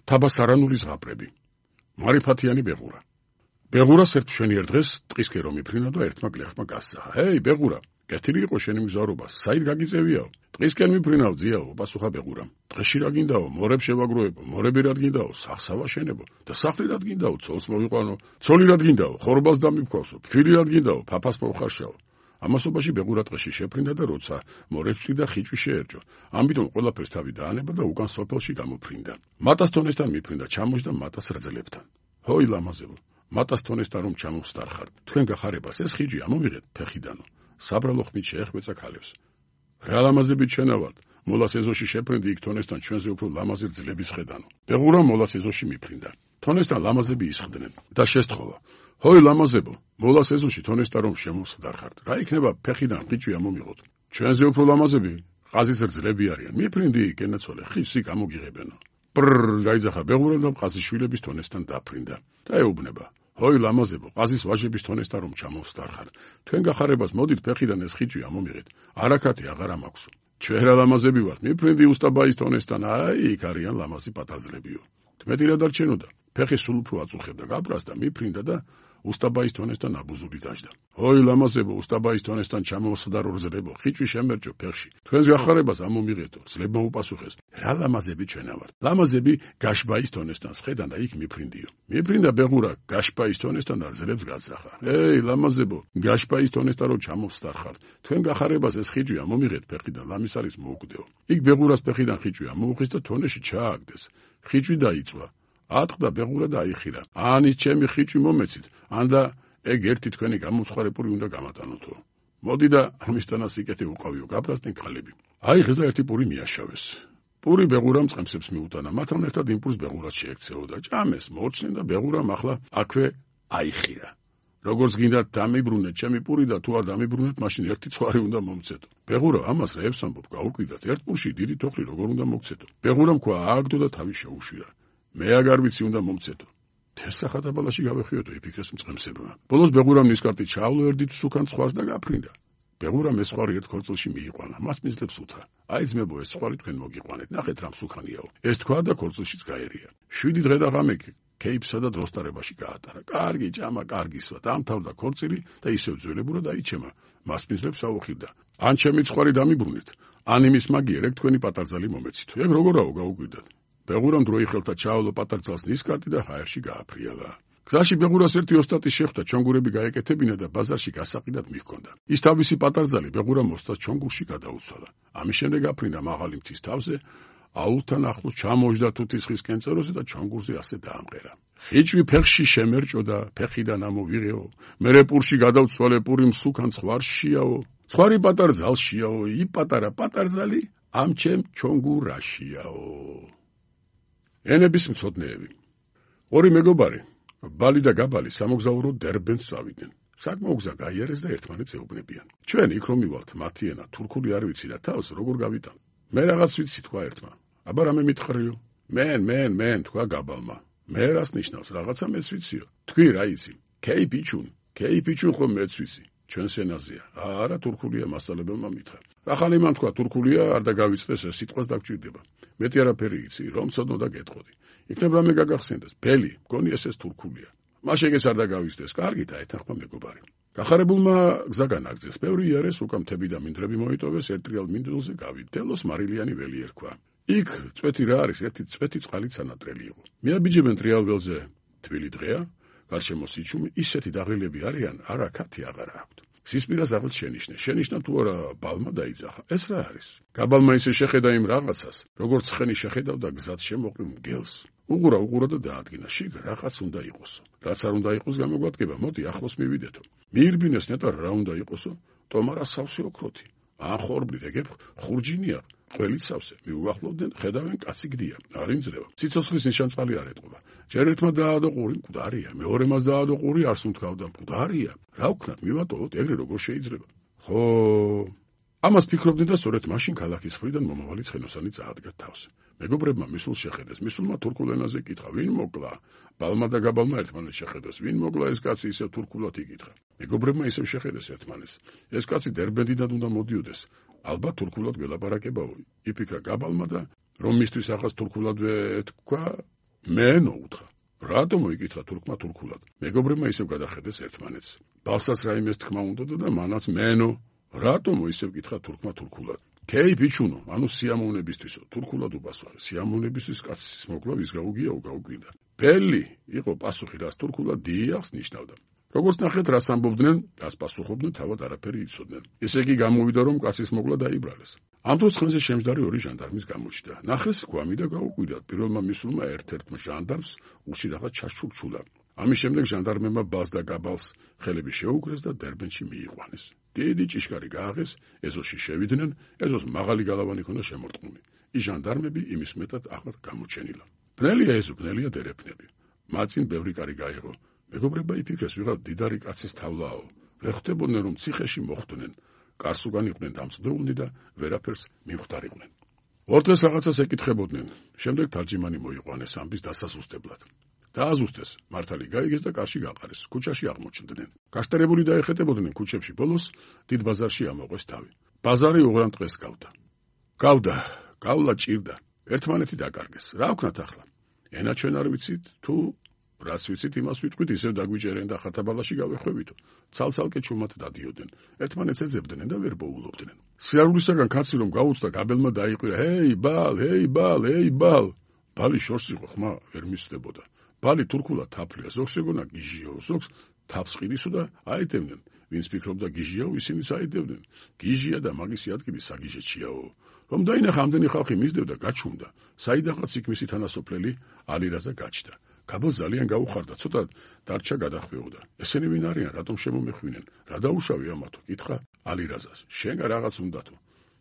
თაბასარანული ზღაპრები. მარიფათიანი ბეღურა. ბეღურას ერთ მშვენიერ დღეს ტყისკენ რომ იფრინა და ერთმა გლეხმა გასცახა. ჰეი, ბეღურა, კეთილი იყო შენი მგზავრობა, საით გაგიწევიაო? ტყისკენ მიფრინავ, ძიაო, პასუხა ბეღურამ. დღეში რა გინდაო? მორებ შევაგროებო, მორები რად გინდაო? სახსავა შენებო და სახლი რად გინდაო? ცოლს მოვიყვანო, ცოლი რად გინდაო? ხორბალს დამიფქვავსო, ფილი რად გინდაო? ფაფას მოვხარშაო. ამასობაში ბეღურა ტყეში შეფრინდა და როცა მორებს და ხიჭვი შეერჯო. ამიტომ ყველაფერს თავი დაანება და უკან სოფელში გამოფრინდა. მატას თონესთან მიფრინდა, ჩამოჯდა მატას რძლებთან. ჰოი ლამაზებო, მატას თონესთან რომ ჩამოვსტარხართ, თქვენ გახარებას ეს ხიჭვი ამოვიღეთ ფეხიდანო. საბრალო ხმით შეეხვეწა ქალებს. რა ლამაზებით ჩვენა ვართ, მოლას ეზოში შეფრინდი იქ თონესთან ჩვენზე უფრო ლამაზი ძლების ხედანო. ბეღურა მოლას ეზოში მიფრინდა. თონესთან ლამაზები ისხდნენ და შესთხოვა. ჰოი ლამაზებო, მოლას ეზოში თონესთან რომ შემოვსტარხართ, რა იქნება ფეხიდან ხიჭვი ამომიღოთ. ჩვენზე უფრო ლამაზები ყაზის ძლები არიან. მიფრინდი კენაცოლე, ხივსი გამოგიღებენო. ბრრ, გაიძახა ბეღურამ და ყაზის შვილების თონესთან დაფრინდა. და ეუბნება. ჰოი ლამაზებო, ყაზის ვაჟების თონესთან რომ ჩამოვსტარხართ, თქვენ გახარებას მოდით ფეხიდან ეს ხიჭვი ამომიღეთ. არაქათი აღარ ამაქვსო. ჩვენ რა ლამაზები ვართ, მიფრინდი უსტაბაის თონესთან, აი იქ არიან ლამაზი პატარძლებიო. თმეტი რა დარჩენოდა? ფეხი სულ უფრო აწუხებდა გაბრას და მიფრინდა და უსტაბაის თონესთან აბუზული დაждდა. ჰოი ლამაზებო, უსტაბაის თონესთან ჩამოვსდა რორძლებო, ხიჭვი შემერჯო ფეხში. თქვენს გახარებას ამომიღეთო, ძლება უპასუხეს. რა ლამაზები ჩვენა ვართ. ლამაზები გაშბაის თონესთან სხედან და იქ მიფრინდიო. მიფრინდა ბეღურა გაშბაის თონესთან და ძლებს გასახა. ეი ლამაზებო, გაშბაის თონესთან რომ ჩამოვსტარხართ, თქვენ გახარებას ეს ხიჭვი ამომიღეთ ფეხიდან, ლამის არის მოუკვდეო. იქ ბეღურას ფეხიდან ხიჭვი ამოუხის და თონეში ჩააგდეს. ხიჭვი დაიწვა. ატყდა ბეღურა და აიხირა. ანის ჩემი ხიჭვი მომეცით, ანდა ეგ ერთი თქვენი გამოცხარებული უნდა გამატანოთო. მოდი და ამისთანა სიკეთე უყავიო, გაბრასდნენ ქალები. აი ხეზე ერთი პური მიაშავეს. პური ბეღურამ წყემსებს მიუტანა, მათთან ერთად იმ პურს ბეღურად შეექცეო და ჭამეს, მოორჩნენ და ბეღურამ ახლა აქვე აიხირა. როგორც გინდათ დამიბრუნეთ ჩემი პური და თუ არ დამიბრუნეთ, მაშინ ერთი ცხვარი უნდა მომცეთო. ბეღურა ამას რეებს ამბობ, გაუკვირდათ, ერთ პურში დიდი თოხრი როგორ უნდა მოგცეთო. ბეღურამ ქვა ააგდო და თავი შეუშვირა. მე აგარ ვიცი უნდა მომცეთო. თესახათაბალაში გავეხიოდო იფიქრეს მწყემსებმა. ბოლოს ბეღურამ ნისკარტი ჩაავლო ერთით სუკან ცხვარს და გაფრინდა. ბეღურამ ეს ცხვარი ერთ ქორწილში მიიყვანა, მას მიზლებს უთხრა. აი ძმებო, ეს ცხვარი თქვენ მოგიყვანეთ, ნახეთ რამ სუკანიაო. ეს თქვა და ქორწილშიც გაერია. 7 დღე და ღამე კეიფსა და დროსტარებაში გაატარა. კარგი ჭამა, კარგისვა, დამთავრდა ქორწილი და ისევ ძველებურად აიჩემა. მას მიზლებს აუხილდა. ან ჩემი ცხვარი დამიბრუნეთ, ან იმის მაგიერ ეგ თქვენი პატარძალი მომეცით. ეგ როგორაო გაუკვირდათ. ბეღურამ დროი ხელთა ჩაავლო პატარძალს ნისკარტი და ჰაერში გააფრიალა. გზაში ბეღურას ერთი ოსტატი შეხვდა, ჩონგურები გაეკეთებინა და ბაზარში გასაყიდად მიჰქონდა. ის თავისი პატარძალი ბეღურამ ოსტატს ჩონგურში გადაუცვალა. ამის შემდეგ აფრინდა მაღალი მთის თავზე, აულთან ახლოს ჩამოჯდა თუთის ხის კენწეროზე და ჩონგურზე ასე დაამყერა. ხიჭვი ფეხში შემერჭო და ფეხიდან ამოვიღეო. მერე პურში გადავცვალე, პური მსუკან ცხვარშიაო. ცხვარი პატარძალშიაო, ი პატარა პატარძალი ამ ჩემ ჩონგურაშიაო. ენების მცოდნეები. ორი მეგობარი, ბალი და გაბალი სამოგზაურო დერბენს წავიდნენ. საკმაო გზა გაიარეს და ერთმანეთს ეუბნებიან. ჩვენ იქ რომ მივალთ, მათი ენა თურქული არ ვიცი და თავს როგორ გავიტან. მე რაღაც ვიცი თქვა ერთმა. აბა რამე მითხრიო? მენ თქვა გაბალმა. მე რას ნიშნავს, რაღაცა მეც ვიციო. თქვი რა იცი? კეიფიჩუნ ხომ მეც ვიცი. ჩვენს ენაზეა. არა თურქულია მასალებელმა მითხრა. ახალი მან თქვა თურქულია, არ დაგავიწყდეს ეს სიტყვას დაგჭირდება. მეტი არაფერი იცი, რომ ცოდნო და გეტყოდი. იქნებ რამე გაგახსენდეს, ბელი, მგონი ეს თურქულია. მაშეგეს არ დაგავიწყდეს, კარგი დაეთანხმა მეგობარი. გახარებულმა გზა განაგრძეს, ბევრი იარეს, უკან მთები და მინდვრები მოიტოვეს, ერთრიალ მინდვრზე გავიდა. დელოს მარილიანი ველი ერქვა. იქ წვეთი რა არის, ერთი წვეთი წყალით სანატრელი იყო. მიაბიჯებენ ტრიალ ველზე, თბილი დღეა, გარშემო სიჩუმე, ისეთი დაღლილები არიან, არაქათი აღარ აქვთ. სისპირას აღლ შენიშნა თუ არა ბალმა დაიძახა. ეს რა არის? გაბალმა ისე შეხედა იმ რაღაცას, როგორც ცხენი შეხედავდა გზად შემოყრილ მგელს. უყურა და დაადგინა, შიგ რაღაც უნდა იყოსო. რაც არ უნდა იყოს გამოგვადგება, მოდი ახლოს მივიდეთო. მიირბინეს ნეტარ რა უნდა იყოსო? ტომარა სავსე ოქროთი. ან ხორბლით ეგებ ხურჯინია, ყველით სავსე. მიუახლოვდნენ, ხედავენ კაცი გდია, არ იმძლევა. სიცოცხლის ნიშანწყალი არ ეტყობა. ჯერ ერთმა დაადო ყური, მკვდარია, მეორემაც დაადო ყური, არს უთქავდა, მკვდარია. რა ვქნათ, მივატოვოთ, ეგრე როგორ შეიძლება? ხო, ამას ფიქრობდნენ და სწორედ მაშინ ქალაქის მხრიდან მომავალი ცხენოსანი წაადგა თავს. მეგობრებმა მისულს შეხედეს, მისულმა თურქულ ენაზე კითხა, ვინ მოკლა? ბალმა და გაბალმა ერთმანეთს შეხედეს, ვინ მოკლა ეს კაცი ისევ თურქულად იკითხა. მეგობრებმა ისევ შეხედეს ერთმანეთს. ეს კაცი დერბენდიდან უნდა მოდიოდეს. ალბათ თურქულად გველაპარაკებაო. იფიქრა გაბალმა და რომ მისთვის ახას თურქულადვე ეთქვა, მენო უთხრა. რატომ მოიკითხა თურქმა თურქულად? მეგობრებმა ისევ გადახედეს ერთმანეთს. ბალსას რაიმეს თქმა უნდოდა და მანაც მენო. რატომ ისევ კითხა თურქმა თურქულად? ქეი ბიჩუნო, ანუ სიამოვნებისთვისო, თურქულად უპასუხე. სიამოვნებისთვის კაცის მოკლა ვიზგაუგია უგაუგვირდა. ბელი იყო პასუხი, რაც თურქულად დიახს ნიშნავდა. როგორც ნახეთ, რას ამბობდნენ, რას პასუხობდნენ, თავად არაფერი იცოდნენ. ესე იგი გამოვიდა, რომ კაცის მოკლა დაიბრალეს. ამ დროს ხანზე შემჯდარი ორი ჟანდარმის გამოჩნდა. ნახეს გვამი და გაუკვირდა. პირველმა მისულმა ერთ-ერთმა ჟანდარმს უში რაღაც ჩაშჩურჩულა. ამის შემდეგ ჟანდარმებმა ბალს და გაბალს ხელები შეუგრეს და დერბენში მიიყვანეს. დიდი ჭიშკარი გააღეს, ეზოში შევიდნენ, ეზოს მაღალი გალავანი ჰქონდა შემორტყმული. ის ჟანდარმები იმის მეტად აღარ გამოჩენილა. ბნელია ეზო, ბნელია დერეფნები. მაწინ ბევრი კარი გაიღო. მეგობრებმა იფიქრეს, ვიღაც დიდარი კაცის თავლაო. ვერ ხვდებოდნენ, რომ ციხეში მოხვდნენ. კარს უკან იყვნენ დამწდეულნი და ვერაფერს მიმხვდარიყვნენ. ორ დღეს რაღაცას ეკითხებოდნენ. შემდეგ თარჯიმანი მოიყვანეს ამბის დასასუსტებლად. დააზუსტეს, მართალი გაიგეს და კარში გაყარეს. ქუჩაში აღმოჩნდნენ. გაშტერებული დაეხეტებოდნენ ქუჩებში, ბოლოს დიდ ბაზარში ამოყვეს თავი. ბაზარი უღრან დღეს გავდა. გავლა ჭირდა. ერთმანეთი დაკარგეს. რა ვქნათ ახლა? ენა ჩვენ არ ვიცით, თუ რას ვიცით, იმას ვიტყვით, ისევ დაგვიჭერენ და ხათაბალაში გავეხვევითო. ცალ-ცალკე ჩუმად დადიოდნენ. ერთმანეთს ეძებდნენ და ვერ ბოულობდნენ. სიარულისაგან კაცი რომ გაუწდა, გაბელმა დაიყვირა: ჰეი ბალ! ბალი შორს იყო, ხმა ვერ მისდებოდა. ბალი თურქულად თაფლია, ზოგს ეგონა გიჟიო, ზოგს თაფს ყიდისო და აედევდნენ. ვინც ფიქრობდა გიჟიაო, ისინიც აედევდნენ. გიჟია და მაგისი ადგილი საგიჟეჩიაო. რომ დაინახა ამდენი ხალხი მისდევდა, გაჩუმდა. საიდანღაც იქ მისი თანასოფლელი ალირაზა გაჩნდა. გაბო ძალიან გაუხარდა, ცოტა დარჩა გადახვეოდა. ესენი ვინ არიან, რატომ შემომეხვინენ? რა დაუშავე ამათო? კითხა ალირაზას. შენ რაღაც უნდათო.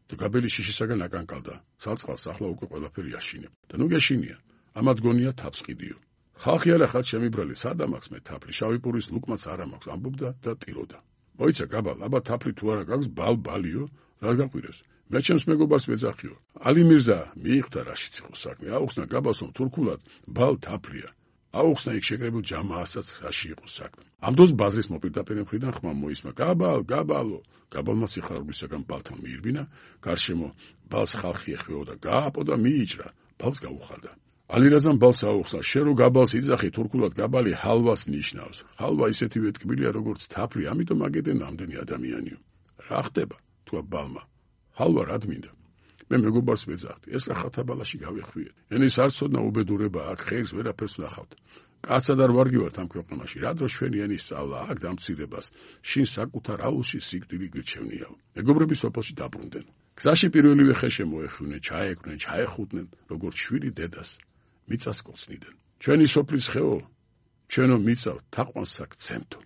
და გაბელი შიშისაგან აკანკალდა. სალწყალს ახლა უკვე ყველაფერი აშინებ. და ნუ გეშინია. ამათ გონია თაფს ყიდიო. ხალხი არა ხარ შემიბრალი, სადამ აქვს მე თაფლი, შავი პურის ლუკმაც არ მაქვს, ამბობდა და ტიროდა. მოიცა გაბალ, აბა თაფლი თუ არა გაქვს, ბალიო, რა გაყვირეს? მე ჩემს მეგობარს ვეძახიო. ალი მირზა, მიიღთა რაშიც იყო საქმე. აუხსნა გაბალსო თურქულად, ბალ თაფლია. აუხსნა იქ შეკრებილ ჯამაასაც რაში იყო საქმე. ამ დროს ბაზრის მოპირდაპირე მხრიდან ხმა მოისმა: გაბალო. გაბალმა სიხარულისაგან ბალთან მიირბინა, გარშემო ბალს ხალხი ეხვეოდა, გააპო და მიიჭრა. ბალს გაუხარდა. ალირაზამ ბალს აუხსნა: შენ რო გაბალს იძახი, თურქულად გაბალი ჰალვას ნიშნავს. ჰალვა ისეთივე ტკბილია, როგორც თაფლი, ამიტომ აგედენ ამდენი ადამიანიო. რა ხდება? თქვა ბალმა. ჰალვა რად მინდა? მე მეგობარს ვეძახდი, ეს რა ხათაბალაში გავეხვიეთ. ენის არ ცოდნა უბედურება, აქ ხეირს ვერაფერს ვნახავთ. კაცად არ ვარგივართ ამ ქვეყანაში, რა დრო ჩვენი ენის სწავლა, აქ დამცირებას, შინ საკუთარ აუზში სიკვდილი გვირჩევნიაო. მეგობრები სოფელში დაბრუნდნენ. გზაში პირველივე ხე შემოეხვინენ, ჩაეკვნენ, ჩაეხუტნენ, როგორც შვილი დედას. მიწას კოცნიდნენ. ჩვენი სოფლის ხეო, ჩვენო მიწავ თაყვანს აქ ცემთო.